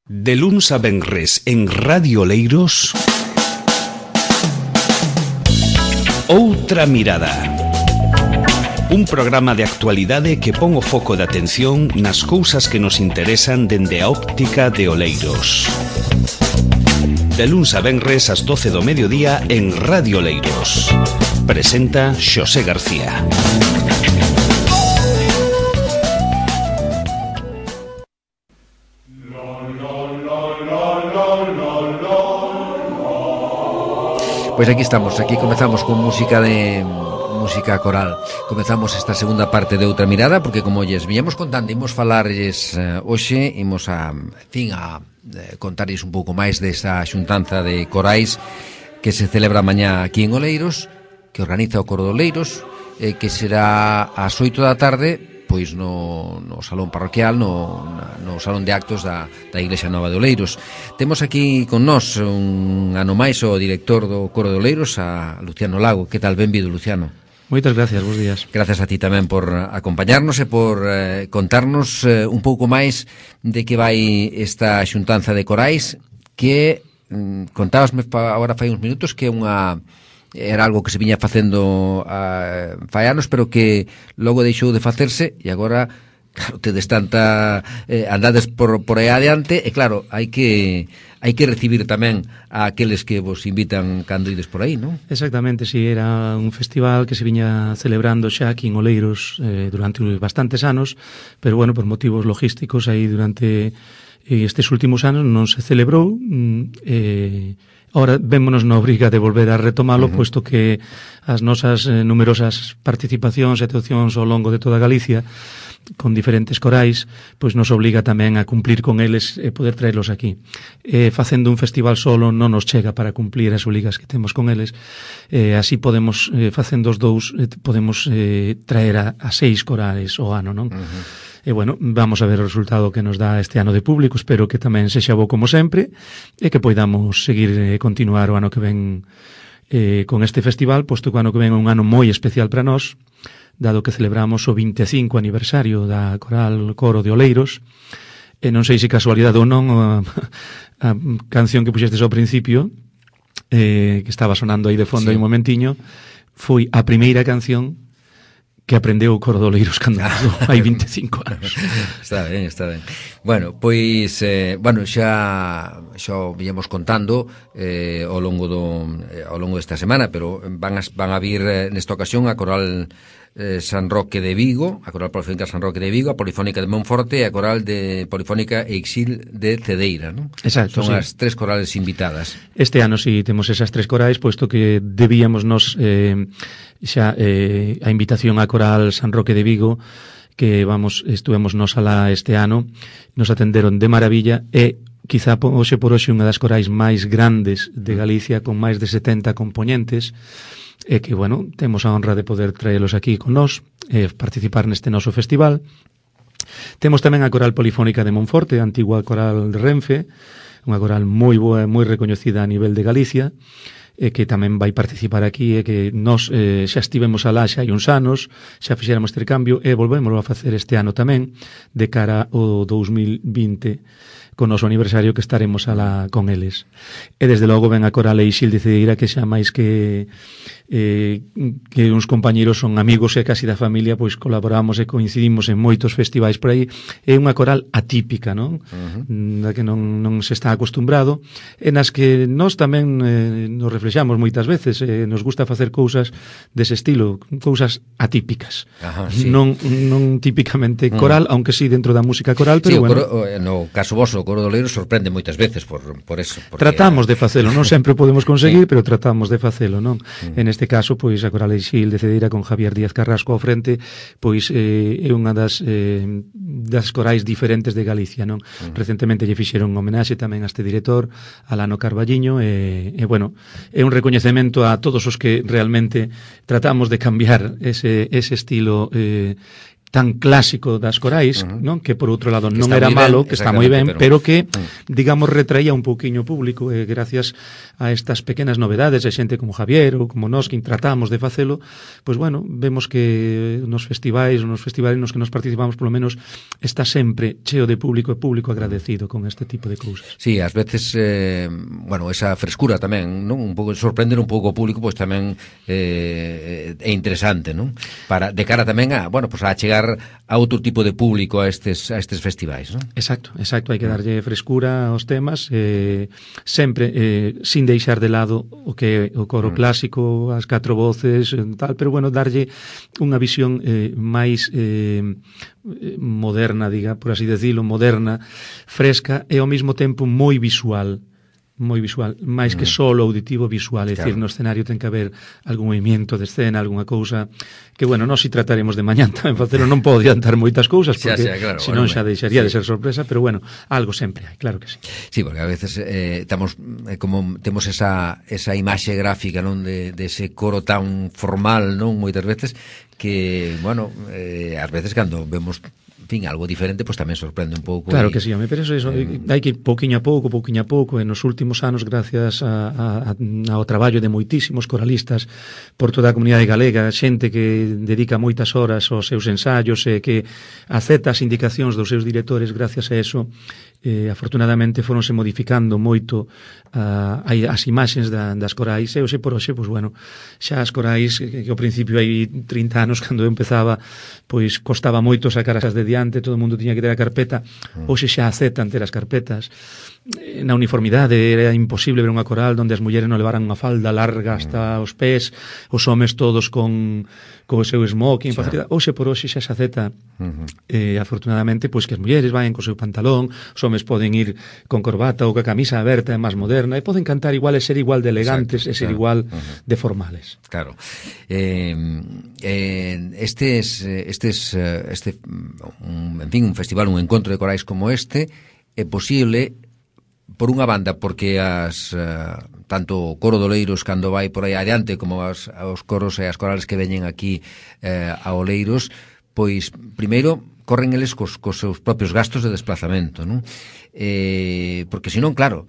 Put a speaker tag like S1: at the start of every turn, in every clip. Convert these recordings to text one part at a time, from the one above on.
S1: De luns a venres en Radio Oleiros, Outra Mirada. Un programa de actualidade que pon o foco de atención nas cousas que nos interesan dende a óptica de Oleiros. De luns a venres ás 12 do mediodía en Radio Oleiros. Presenta Xosé García.
S2: Pois aquí estamos, aquí comezamos con música coral. Comezamos esta segunda parte de Outra Mirada, porque como lles viñamos contando, imos falarlles hoxe, imos a contarlles un pouco máis desa xuntanza de corais que se celebra mañá aquí en Oleiros, que organiza o Coro de Oleiros, que será ás 8 da tarde, pois no salón parroquial, no salón de actos da Iglesia Nova de Oleiros. Temos aquí con nós un ano máis o director do Coro de Oleiros, a Luciano Lago. Que tal? Benvido, Luciano.
S3: Moitas gracias, bons días.
S2: Gracias a ti tamén por acompañarnos e por contarnos un pouco máis de que vai esta xuntanza de corais, que contábasme agora fai uns minutos que era algo que se viña facendo fai anos, pero que logo deixou de facerse e agora, claro, tedes tanta andades por aí adiante e claro, hai que recibir tamén a aqueles que vos invitan cando ides por aí, non?
S3: Exactamente, si, era un festival que se viña celebrando xa aquí en Oleiros durante bastantes anos, pero bueno, por motivos logísticos aí durante estes últimos anos non se celebrou. Ahora vémonos na obriga de volver a retomalo, puesto que as nosas numerosas participacións e actuacións ao longo de toda Galicia con diferentes corais, pois nos obliga tamén a cumplir con eles e poder traerlos aquí. Facendo un festival solo non nos chega para cumplir as obrigas que temos con eles. Así podemos, facendo os dous, podemos traer a 6 corais ao ano, non? E bueno, vamos a ver o resultado que nos dá este ano de público. Espero que tamén sexa bo como sempre e que poidamos seguir continuar o ano que ven con este festival, posto que o ano que ven é un ano moi especial para nós, dado que celebramos o 25 aniversario da Coro de Oleiros. E non sei se casualidade ou non, a canción que puxestes ao principio, que estaba sonando aí de fondo aí un momentiño, foi a primeira canción que aprendeu o Coro de Oleiros cando hai 25 anos.
S2: Está ben, está ben. Bueno, pois xa viñamos contando ao longo desta semana, pero van a vir nesta ocasión a Coral San Roque de Vigo, a Coral Polifónica San Roque de Vigo, a Polifónica de Monforte e a Coral de Polifónica Exil de Cedeira, non?
S3: Exacto,
S2: son as 3 corales invitadas.
S3: Este ano si temos esas 3 corais, posto que debíamos nos xa a invitación á Coral San Roque de Vigo, que estuvemos nos alá este ano, nos atenderon de maravilla e quizá hoxe por hoxe unha das corais máis grandes de Galicia, con máis de 70 componentes, e que, bueno, temos a honra de poder traelos aquí con nós e participar neste noso festival. Temos tamén a Coral Polifónica de Monforte, a antigua coral de Renfe, unha coral moi boa e moi recoñecida a nivel de Galicia, e que tamén vai participar aquí, e que nós xa estivemos alá xa hai uns anos, xa fixéramos intercambio e volvémoslo a facer este ano tamén, de cara ao 2020, con o noso aniversario, que estaremos alá con eles. E desde logo ven a Coral Exil de Cedeira, que xa máis que uns compañeros, son amigos e casi da familia, pois colaboramos e coincidimos en moitos festivais por aí. É unha coral atípica, non? Da que non se está acostumbrado, e nas que nós tamén nos reflexamos moitas veces, nos gusta facer cousas dese estilo, cousas atípicas.
S2: Ajá, sí.
S3: Non típicamente coral, aunque sí dentro da música coral, pero
S2: sí,
S3: bueno.
S2: No caso voso, o Coro de Oleiros sorprende moitas veces por eso.
S3: Tratamos de facelo, non sempre podemos conseguir, pero tratamos de facelo, non? En este caso, pois a Coral Exil de Cedeira, con Javier Díaz Carrasco ao frente, pois é unha das corais diferentes de Galicia, non? Recentemente lle fixeron un homenaxe tamén a este director, Alano Carballiño, e bueno, é un recoñecemento a todos os que realmente tratamos de cambiar ese estilo tan clásico das corais, non? Que por outro lado non era malo, que está moi ben, pero que, digamos, retraía un pouquiño o público, e gracias a estas pequenas novedades, a xente como Javier ou como nós que tratamos de facelo, pois bueno, vemos que nos festivais nos que nos participamos, polo menos, está sempre cheo de público e público agradecido con este tipo de cousas.
S2: Sí, ás veces, bueno, esa frescura tamén, non? Un pouco sorprender un pouco o público, pois tamén é interesante, non? Para de cara tamén a, bueno, pois a chegar a outro tipo de público a estes festivais, non?
S3: Exacto, hai que darlle frescura aos temas, sempre sin deixar de lado o que o coro clásico, as 4 voces, tal, pero bueno, darlle unha visión máis moderna, diga, por así decirlo, moderna, fresca e ao mesmo tempo moi visual, máis que solo auditivo, visual, é dicir, no escenario ten que haber algún movimiento de escena, alguna cousa que, bueno, nós si trataremos de mañán tamén facelo, non podo adiantar moitas cousas porque claro, senón xa deixaría de ser sorpresa, pero bueno, algo sempre hai, claro que sí.
S2: Sí, porque a veces estamos como temos esa imaxe gráfica, non, de ese coro tan formal, non, moitas veces que, bueno, ás veces cando vemos fin, algo diferente, pois tamén sorprende un pouco.
S3: Claro que sí, pero eso hai que ir pouquiño a pouco, e nos últimos anos, gracias ao traballo de moitísimos coralistas por toda a comunidade galega, xente que dedica moitas horas aos seus ensaios e que acepta as indicacións dos seus directores, gracias a eso, afortunadamente foronse modificando moito as imaxes das corais, e hoxe por hoxe, pois bueno, xa as corais que ao principio hai 30 anos, cando eu empezaba, pois costaba moito sacar as de diante, todo o mundo tiña que ter a carpeta, hoxe xa aceptan ter as carpetas. Na uniformidade era imposible ver unha coral onde as mulleres non levaran unha falda larga hasta os pés, os homes todos con o seu smoking, hoxe por hoxe xa se acepta, afortunadamente, pois que as mulleres vayan co seu pantalón, os homes poden ir con corbata ou ca camisa aberta, é máis moderna, e poden cantar igual e ser igual de elegantes, e ser igual de formales.
S2: Claro. En fin, un festival, un encontro de corais como este é posible por unha banda porque tanto o coro de Oleiros cando vai por aí adiante como os coros e as corales que veñen aquí a Oleiros, pois primeiro corren eles cos seus propios gastos de desplazamento, non? Porque senón, claro,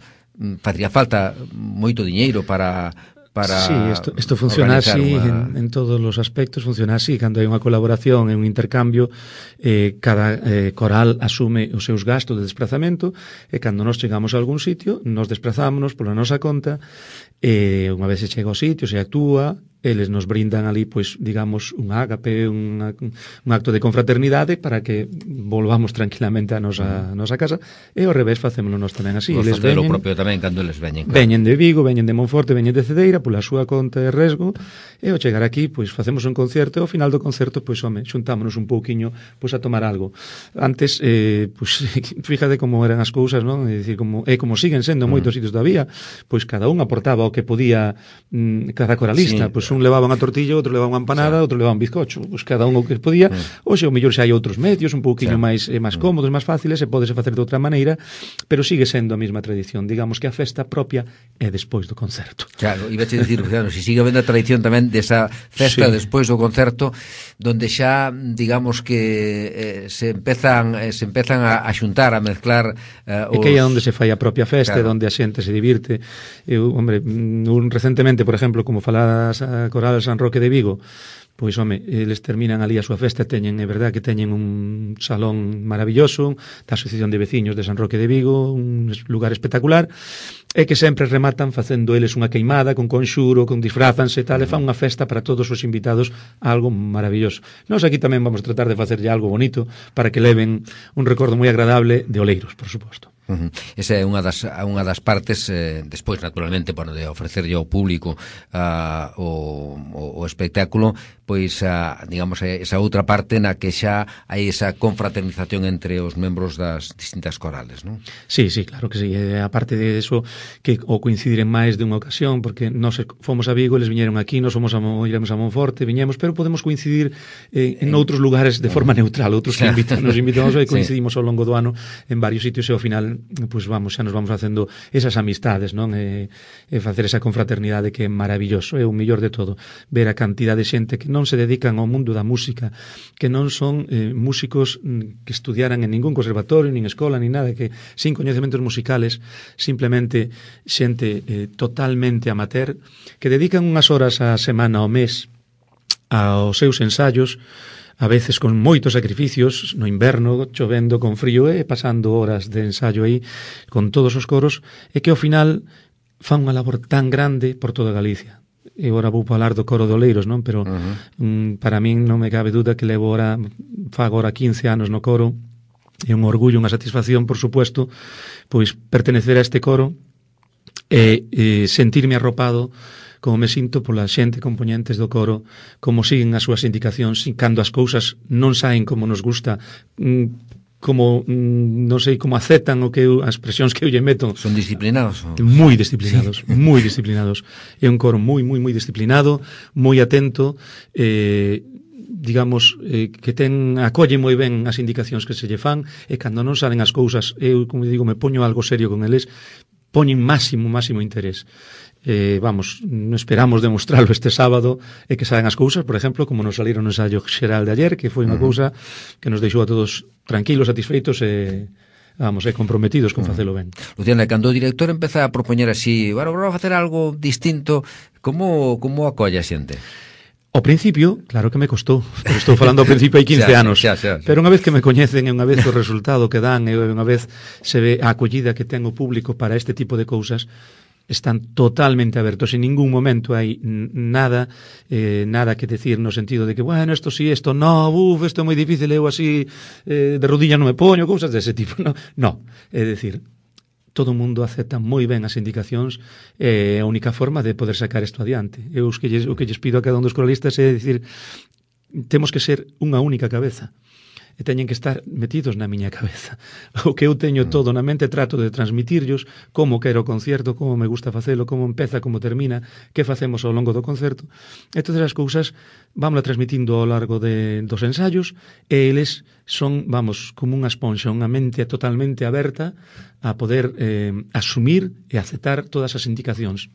S2: faría falta moito diñeiro para
S3: sí, isto funciona así en todos os aspectos, funciona así, cando hai unha colaboración e un intercambio, cada coral asume os seus gastos de desplazamento, e cando nos chegamos a algún sitio, nos desplazámonos pola nosa conta, e unha vez se chega ao sitio, se actúa, eles nos brindan ali, pois, digamos, un ágape, un acto de confraternidade para que volvamos tranquilamente a nosa casa, e ao revés facémolo nós tamén así.
S2: Eles veñen, o propio tamén cando eles veñen.
S3: Claro. Veñen de Vigo, veñen de Monforte, veñen de Cedeira, pola súa conta e resgo, e ao chegar aquí, pois, facemos un concerto, e ao final do concerto, pois, home, xuntámonos un pouquiño, pois, a tomar algo. Antes, pois, fíjate como eran as cousas, non? É dicir, como siguen sendo moitos sitios todavía, pois, cada un aportaba o que podía cada coralista, pois, un levaba unha tortilla, outro levaba unha empanada, outro levaba un bizcocho, pois cada un o que podía. Hoxe o mellor xa hai outros medios un pouquiño máis cómodos, máis fáciles, e pódese facer de outra maneira, pero sigue sendo a mesma tradición. Digamos que a festa propia é despois do concerto.
S2: Claro, iba a dicir, claro, se sigue habendo a tradición tamén desa festa despois do concerto, donde xa, digamos que se empezan a xuntar, a mezclar
S3: e que é onde se fai a propia festa, onde a xente se divirte. Hombre, recentemente, por exemplo, como faladas a coral San Roque de Vigo, pois, home, eles terminan ali a súa festa, teñen, é verdad que teñen un salón maravilloso da Asociación de Veciños de San Roque de Vigo, un lugar espectacular, e que sempre rematan facendo eles unha queimada con conxuro, con disfrázanse e tal, e fan unha festa para todos os invitados, algo maravilloso. Nós aquí tamén vamos tratar de facerlle algo bonito para que leven un recordo moi agradable de Oleiros, por suposto.
S2: Esa é unha das partes, despois, naturalmente, bueno, de ofrecerlle ao público o espectáculo, pois, digamos, esa outra parte na que xa hai esa confraternización entre os membros das distintas corales, non?
S3: Sí, claro que sí. A parte de eso, que o coincidir en máis de unha ocasión, porque nós fomos a Vigo, eles viñeron aquí, nós iremos a Monforte, viñemos, pero podemos coincidir en outros lugares de forma neutral, outros que nos invitamos e coincidimos ao longo do ano en varios sitios, e ao final pois vamos, xa nos vamos facendo esas amistades, non? E facer esa confraternidade que é maravilloso, é o mellor de todo, ver a cantidad de xente que non se dedican ao mundo da música, que non son músicos que estudiaran en ningún conservatorio, nin escola, nin nada, que sin coñecementos musicales, simplemente xente totalmente amateur, que dedican unhas horas a semana ao mes aos seus ensaios, a veces con moitos sacrificios, no inverno, chovendo, con frío, e pasando horas de ensaio aí, con todos os coros, e que ao final fan unha labor tan grande por toda Galicia. E agora vou falar do coro de Oleiros, non? Pero para min non me cabe duda que fago agora 15 anos no coro, é un orgullo, unha satisfacción, por supuesto, pois pertenecer a este coro e sentirme arropado como me sinto pola xente componentes do coro, como siguen as súas indicacións, cando as cousas non saen como nos gusta, como, non sei, como aceptan as expresións que eu lle meto.
S2: Son disciplinados?
S3: Moi disciplinados, sí. Moi disciplinados. É un coro moi disciplinado, moi atento, digamos, que acolle moi ben as indicacións que se lle fan, e cando non salen as cousas, eu, como digo, me poño algo serio con eles, poñen máximo interés. Vamos, non esperamos demostrarlo este sábado e que saen as cousas, por exemplo, como nos saliron no ensayo xeral de ayer, que foi unha cousa que nos deixou a todos tranquilos, satisfeitos e comprometidos con facelo ben.
S2: Luciana, cando o director empeza a propoñer así, bueno, vamos a facer algo distinto, como acolle a xente?
S3: Ao principio, claro que me costou, pero estou falando ao principio hai 15 anos, pero unha vez que me coñecen e unha vez o resultado que dan e unha vez se ve a acollida que ten o público para este tipo de cousas, están totalmente abertos, en ningún momento hai nada que decir no sentido de que, bueno, esto sí, esto no, esto é moi difícil, eu así de rodilla non me poño, cousas dese tipo, no, é dicir, todo o mundo acepta moi ben as indicacións, é a única forma de poder sacar isto adiante. Eu o que lles pido a cada un dos coralistas é dicir, temos que ser unha única cabeza, e teñen que estar metidos na miña cabeza. O que eu teño todo na mente, trato de transmitirlos como quero o concerto, como me gusta facelo, como empeza, como termina, que facemos ao longo do concerto. E todas as cousas vámonos transmitindo ao largo dos ensaios, e eles son, como unha esponxa, unha mente totalmente aberta a poder asumir e aceptar todas as indicacións.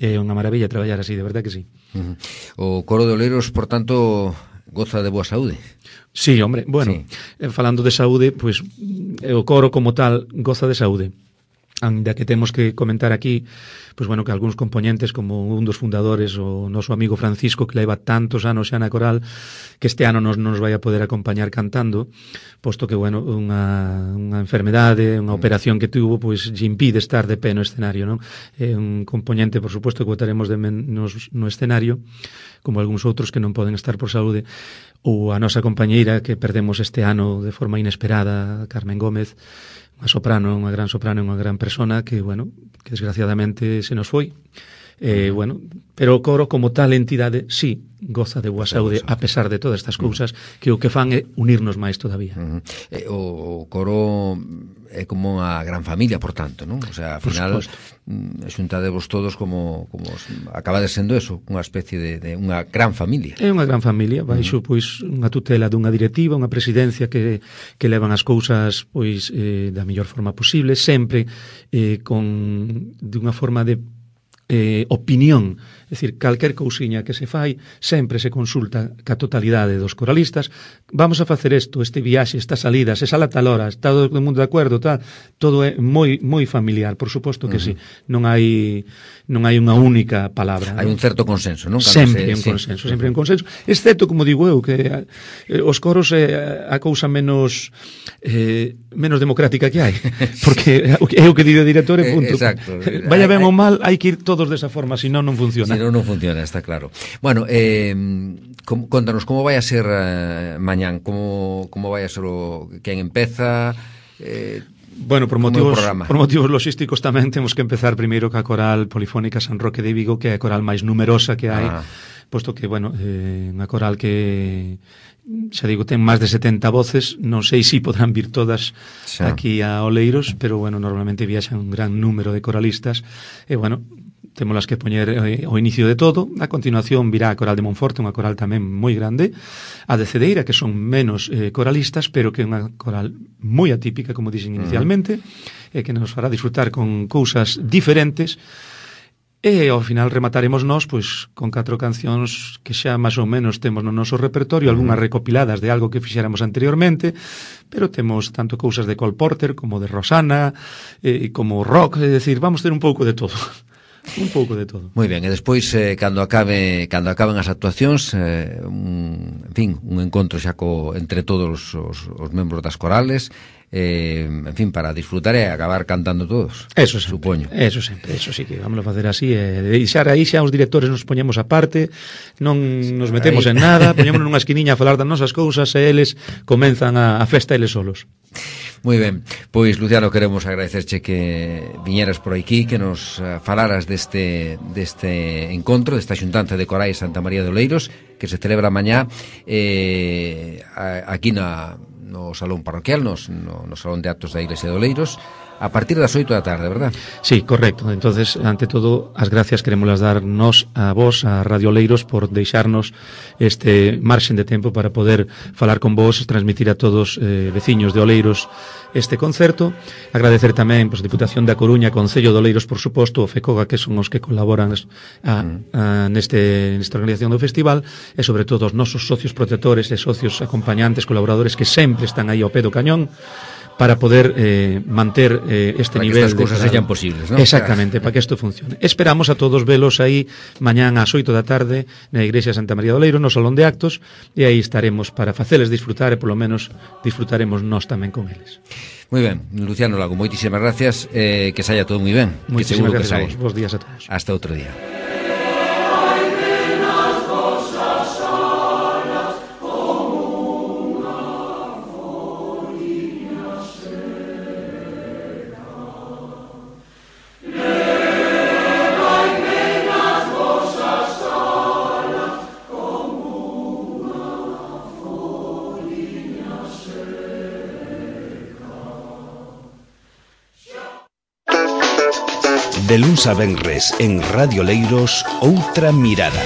S3: É unha maravilla traballar así, de verdad que sí.
S2: O coro de Oleiros, por tanto, goza de boa saúde.
S3: Sí, hombre, bueno, sí. Falando de saúde, pois o coro como tal goza de saúde. Ainda que temos que comentar aquí, pois bueno, que algúns componentes, como un dos fundadores, o noso amigo Francisco, que leva tantos anos xa na coral, que este ano non nos vai a poder acompañar cantando, posto que, bueno, unha enfermedade, unha operación que tuvo, pois lle impide estar de pé no escenario, non? É un componente, por suposto, que botaremos no escenario, como algúns outros que non poden estar por saúde, ou a nosa compañeira que perdemos este ano de forma inesperada, Carmen Gómez, unha gran soprano, unha gran persona que, bueno, que desgraciadamente se nos foi. Bueno, pero o coro como tal entidade sí goza de boa saúde, a pesar de todas estas cousas, que o que fan é unirnos máis todavía.
S2: O coro é como unha gran familia, por tanto, non? O sea, ao final xuntadevos todos como acaba de sendo eso, unha especie de unha gran familia.
S3: É unha gran familia, baixo pois unha tutela dunha directiva, unha presidencia que levan as cousas pois da mellor forma posible, sempre de unha forma de opinión, é dicir, calquer cousiña que se fai sempre se consulta ca totalidade dos coralistas. Vamos a facer isto, este viaxe, esta salida, se sala tal hora, está todo o mundo de acordo, tal, todo é moi familiar, por suposto que sí. Non hai unha única palabra.
S2: Hai un certo consenso, non?
S3: Sempre hai un consenso, sempre hai un consenso, excepto, como digo eu, que os coros é a cousa menos democrática que hai, porque é o que di o director e punto.
S2: Exacto.
S3: Vaya ben ou mal, hai que ir todos desa forma, senón non funciona.
S2: Senón non funciona, está claro. Bueno, contanos, como vai a ser mañán? Como vai a ser quen empeza?
S3: Bueno, por motivos logísticos tamén temos que empezar primeiro ca coral polifónica San Roque de Vigo, que é a coral máis numerosa que hai, posto que, bueno, unha coral que xa digo, ten máis de 70 voces, non sei se podrán vir todas aquí a Oleiros, pero, bueno, normalmente viaxan un gran número de coralistas, e, bueno, témolas que poñer ao inicio de todo. A continuación virá a coral de Monforte, unha coral tamén moi grande, a de Cedeira, que son menos coralistas, pero que é unha coral moi atípica, como dixen inicialmente, que nos fará disfrutar con cousas diferentes. E ao final remataremos nós pois con 4 cancións que xa máis ou menos temos no noso repertorio, algunhas recopiladas de algo que fixéramos anteriormente, pero temos tanto cousas de Cole Porter como de Rosana, como rock, é dicir, vamos ter un pouco de todo. Un pouco de todo.
S2: Moi ben, e despois cando acaben as actuacións, en fin, un encontro xa entre todos os membros das corales, en fin, para disfrutar e acabar cantando todos.
S3: Eso sempre,
S2: supoño.
S3: Eso sempre, eso sí que vamos a facer así, deixar aí xa os directores nos poñemos aparte, non nos metemos en nada, poñémonos nunha esquiniña a falar das nosas cousas e eles comenzan a festa eles solos.
S2: Moi ben, pois Luciano, queremos agradecerche que viñeras por aquí, que nos falaras deste encontro, desta xuntanza de corais Santa María de Oleiros, que se celebra mañá aquí no Salón Parroquial, no Salón de Actos da Iglesia de Oleiros, a partir das 8 da tarde, verdad?
S3: Sí, correcto. Entonces, ante todo, as gracias queremos darnos a vos, a Radio Oleiros, por deixarnos este marxen de tempo para poder falar con vos, transmitir a todos veciños de Oleiros este concerto. Agradecer tamén a Diputación da Coruña, Concello de Oleiros, por suposto, o FECOGA, que son os que colaboran nesta organización do festival, e sobre todo os nosos socios protectores e socios acompañantes, colaboradores que sempre están aí ao pé do cañón para poder manter este
S2: para
S3: nivel
S2: que estas cousas sellan posibles, ¿no?
S3: Exactamente, para que isto funcione. Esperamos a todos velos aí mañán ás 8 da tarde na Igrexa Santa María de Oleiros, no Salón de Actos, e aí estaremos para faceles disfrutar e polo menos disfrutaremos nós tamén con eles.
S2: Moi ben, Luciano Lago, moitísimas gracias, que saia todo moi ben.
S3: Moitísimas gracias a vos, bons días a todos.
S2: Hasta outro día.
S1: De luns a venres en Radio Oleiros, Outra Mirada.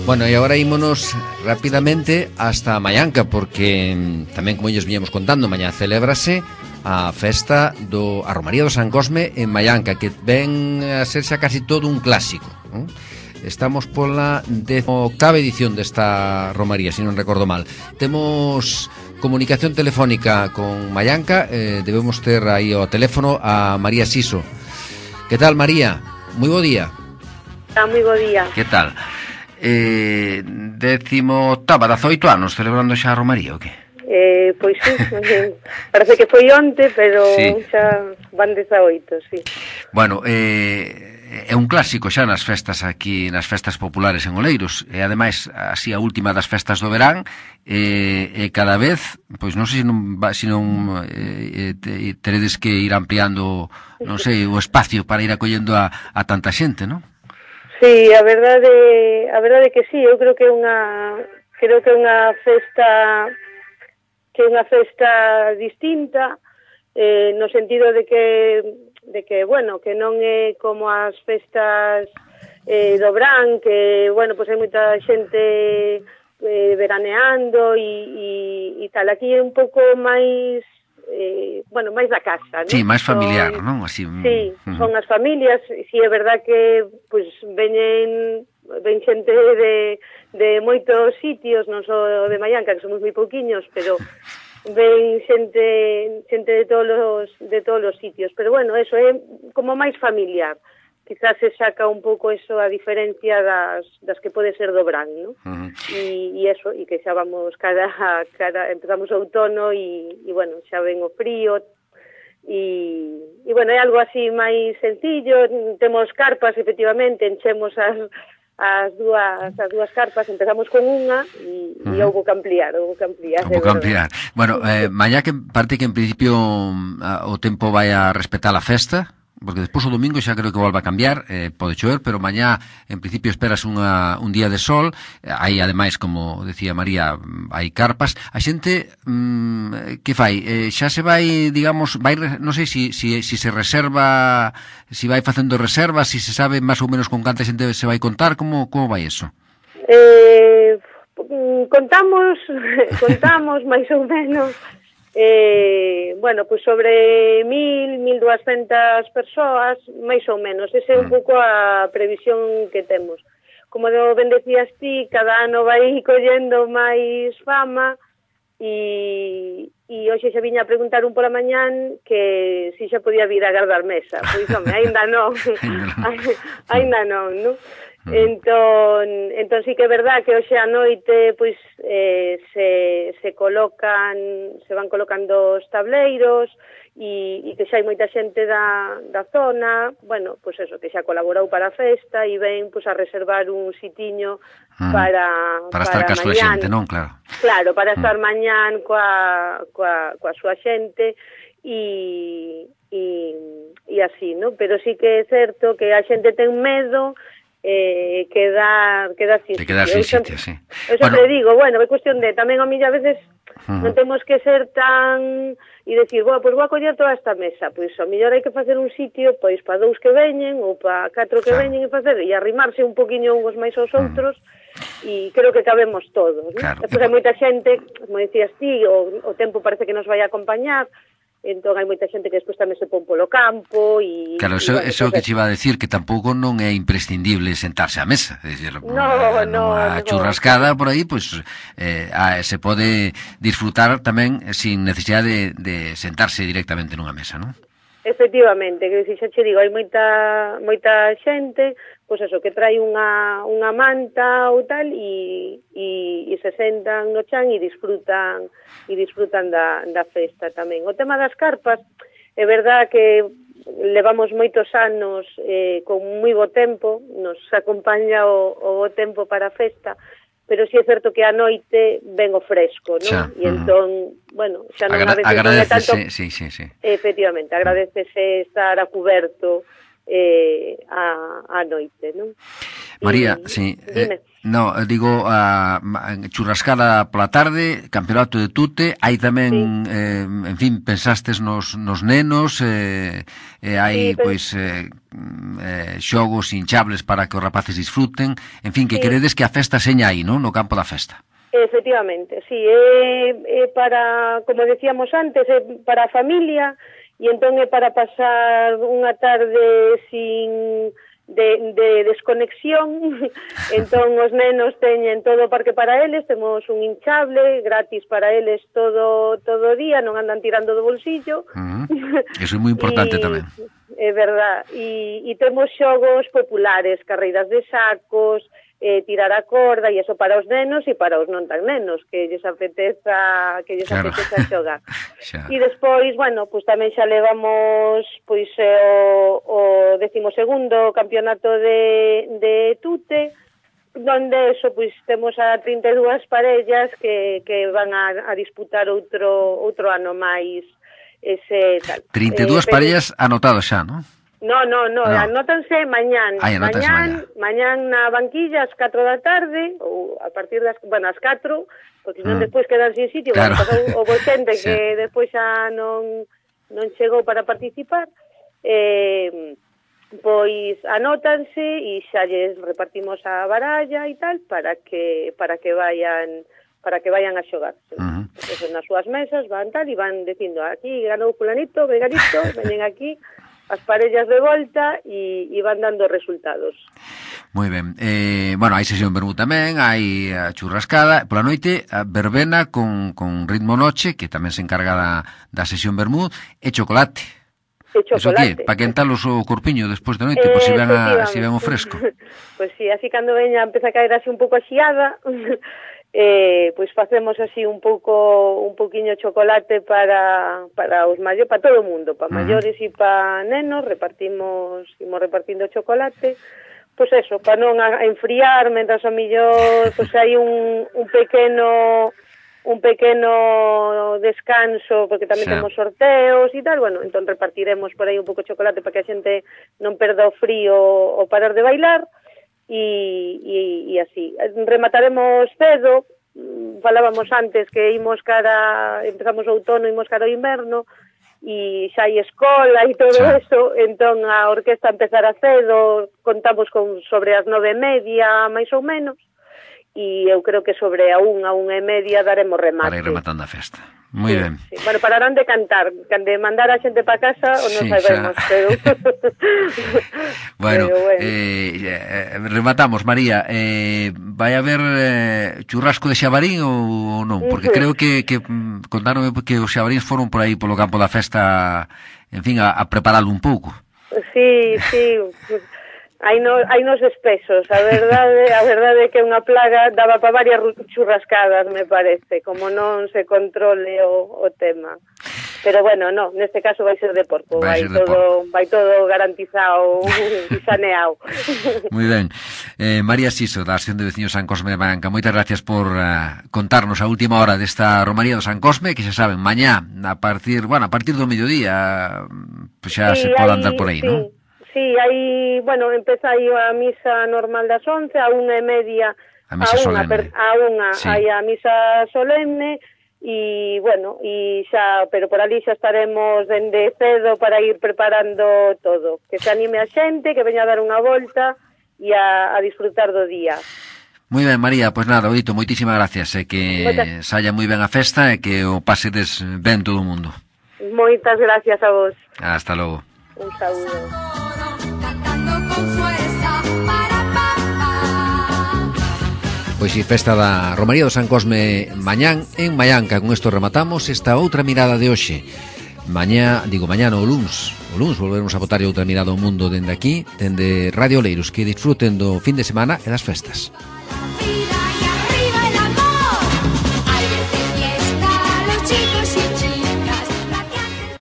S2: Bueno, e agora ímonos rapidamente hasta Mallanca, porque tamén, como ellos viñamos contando, mañá celébrase a festa a Romaría do San Cosme en Mallanca, que ven a ser xa casi todo un clásico. Estamos pola 18ª edición desta Romaría, se non recordo mal. Temos comunicación telefónica con Mallanca, debemos ter aí ao teléfono a María Siso. Que tal, María? Moi bo día.
S4: Moi bo día.
S2: Que tal? 18ª, 18 anos celebrando xa a Romaría, o que?
S4: Pois sí, parece que foi onte, pero
S2: sí,
S4: xa van 18, sí.
S2: Bueno, é un clásico xa nas festas aquí, nas festas populares en Oleiros, e ademais así a última das festas do verán, e cada vez, pois non sei se non teredes que ir ampliando, non sei, o espacio para ir acollendo a tanta xente, non?
S4: Sí, a verdade que sí, eu creo que é unha festa distinta, no sentido de que bueno, que non é como as festas do Brán, que bueno, pois hai moita xente veraneando e tal. Aquí é un pouco máis bueno, máis da casa, non?
S2: Sí, máis familiar, non? Así,
S4: sí, son as familias, si é verdad que pois ven xente de moitos sitios, non só de Mallanca, que somos moi pouquiños, pero ven xente de todos os sitios, pero bueno, eso é como máis familiar. Quizás se saca un pouco eso a diferencia das que pode ser do Brán, ¿no? E eso, e que xa vamos cada empezamos o outono e bueno, xa ven o frío e bueno, é algo así máis sencillo. Temos carpas, efectivamente, enchemos as dúas carpas, empezamos con unha e houbo que ampliar.
S2: Bueno, mañá que parte que en principio o tempo vai a respetar a festa. porque despois o domingo xa creo que volva a cambiar, pode chover, pero mañá en principio esperas un día de sol, hai ademais, como decía María, hai carpas. A xente que fai? Xa se vai, digamos, non sei se se reserva, se vai facendo reservas, se sabe máis ou menos con canta xente se vai contar, como vai eso?
S4: Contamos máis ou menos, bueno, pues sobre 1.200 persoas, máis ou menos. Ese é un pouco a previsión que temos. Como ben decías ti, cada ano vai collendo máis fama e hoxe xa viña a preguntar un pola mañán que si xa podía vir a agardar mesa. Pois, home, aínda non. Aínda non, non? Entón sí que é verdad que hoxe a noite pois se van colocando os tableiros e que xa hai moita xente da zona, bueno, pois eso, que xa colaborou para a festa e ven pois a reservar un sitiño para
S2: estar ca súa xente, non?
S4: Claro, para estar mañán coa súa xente e así, non? Pero sí que é certo que a xente ten medo quedar sin
S2: sitio, sí.
S4: Eu sempre digo, bueno, é cuestión de tamén a mí a veces non temos que ser tan e decir, pois vou a coller toda esta mesa, pois ao mellor hai que facer un sitio pois para 2 que veñen ou para 4 que veñen e arrimarse un poquinho uns máis aos outros e creo que cabemos todos, ¿no? Depois hai moita xente, como decías ti, o tempo parece que nos vai a acompañar. Entón hai moita xente que despois tamén se pon polo campo e...
S2: Claro, eso é o que te iba a decir, que tampouco non é imprescindible sentarse á mesa. É dicir, nunha churrascada por aí, pois se pode disfrutar tamén sin necesidade de sentarse directamente nunha mesa, non?
S4: Efectivamente, que xa che digo, hai moita xente, pois eso, que trae unha manta ou tal e se sentan no chan e disfrutan da festa tamén. O tema das carpas, é verdad que levamos moitos anos con moi bo tempo, nos acompaña o bo tempo para a festa, pero si é certo que a noite ven o fresco, non? E entón, bueno, xa non a veces non é tanto...
S2: Sí.
S4: Efectivamente, agradecese estar a cuberto a noite, non?
S2: María, sí. No, digo, churrascada pola tarde, campeonato de tute, hai tamén, en fin, pensastes nos nenos, hai, pois, xogos hinchables para que os rapaces disfruten, en fin, que queredes que a festa seña aí, non? No campo da festa.
S4: Efectivamente, sí, para, como decíamos antes, para a familia, e entón é para pasar unha tarde sin... de desconexión. Entón os nenos teñen todo o parque para eles, temos un hinchable gratis para eles todo o día, non andan tirando do bolsillo.
S2: Eso é moi importante tamén.
S4: É verdad, e temos xogos populares, carreiras de sacos, tirar a corda, e eso para os nenos e para os non tan nenos, que lles apeteza xogar. E despois, bueno, pois tamén xa levamos pois o 12º campeonato de tute, donde eso, pois temos a 32 parellas que van a disputar outro ano máis ese tal.
S2: 32 parellas anotadas xa, non?
S4: No, anótanse mañán. Mañán na banquilla ás 4 da tarde, ou a partir das, as 4, porque senón despois quedan sin sitio, claro. O xente que despois xa non chegou para participar, pois anótanse e xa lles repartimos a baralla e tal para que vayan a xogar. Pues nas súas mesas van tal e van dicindo, aquí ganou fulanito, veganito, veñen aquí as parellas de volta e van dando resultados.
S2: Moi ben. Bueno, hai sesión vermú tamén, hai a churrascada, pola noite a verbena con ritmo noche, que tamén se encarga da sesión vermú, e chocolate. Eso que, para quentalos o corpiño despois da noite, pois se ven o fresco.
S4: Pois si, así cando veña empeza a caer así un pouco a xiada, pois facemos así un pouquiño chocolate para os maiores, para todo o mundo, para maiores e para nenos, imos repartindo chocolate, pois eso, para non enfriar, mentras ao millor pois hai un un pequeno descanso, porque tamén temos sorteos e tal, bueno, entón repartiremos por aí un pouco de chocolate para que a xente non perda o frío ou parar de bailar, e así. Remataremos cedo, falábamos antes que empezamos o outono, imos cara ao inverno, e xa hai escola e todo eso, entón a orquesta empezará cedo, contamos con sobre as 9:30, máis ou menos, e eu creo que sobre a 1:30 daremos remate.
S2: Para ir rematando a festa. Moi ben.
S4: Sí. Bueno, pararán de cantar, de mandar a xente para casa ou non sabemos, pero...
S2: Bueno, rematamos, María. Vai haber churrasco de xabarín ou non? Porque creo que contaronme que os xabaríns foron por aí polo campo da festa, en fin, a preparalo un pouco.
S4: Sí. Hai nos espesos, a verdade é que unha plaga daba para varias churrascadas, me parece, como non se controle o tema. Pero bueno, no, neste caso vai ser de porco, vai todo garantizado e saneado.
S2: Moi ben. María Siso, da Asociación de Veciños San Cosme de Mallorca, moitas gracias por contarnos a última hora desta romaría do San Cosme, que xa saben, mañá, a partir do mediodía, pues xa se pode andar por aí, non?
S4: Sí, aí, bueno, empeza aí a misa normal das 11, a 1:30
S2: a misa solemne.
S4: Hai a misa solemne e, bueno, e xa, pero por ali xa estaremos dende cedo para ir preparando todo. Que se anime a xente, que veña a dar unha volta e a disfrutar do día.
S2: Moi ben, María, pois nada, Odito, moitísimas gracias, e que saia moi ben a festa e que o pasedes ben todo o mundo.
S4: Moitas gracias a vos.
S2: Hasta logo.
S4: Un saúdo.
S2: Pois si, festa da Romaría do San Cosme mañán en Mallanca. Con isto rematamos esta outra mirada de hoxe. Mañá no luns volveremos a botar outra mirada ao mundo dende aquí, dende Radio Oleiros. Que disfruten do fin de semana e das festas.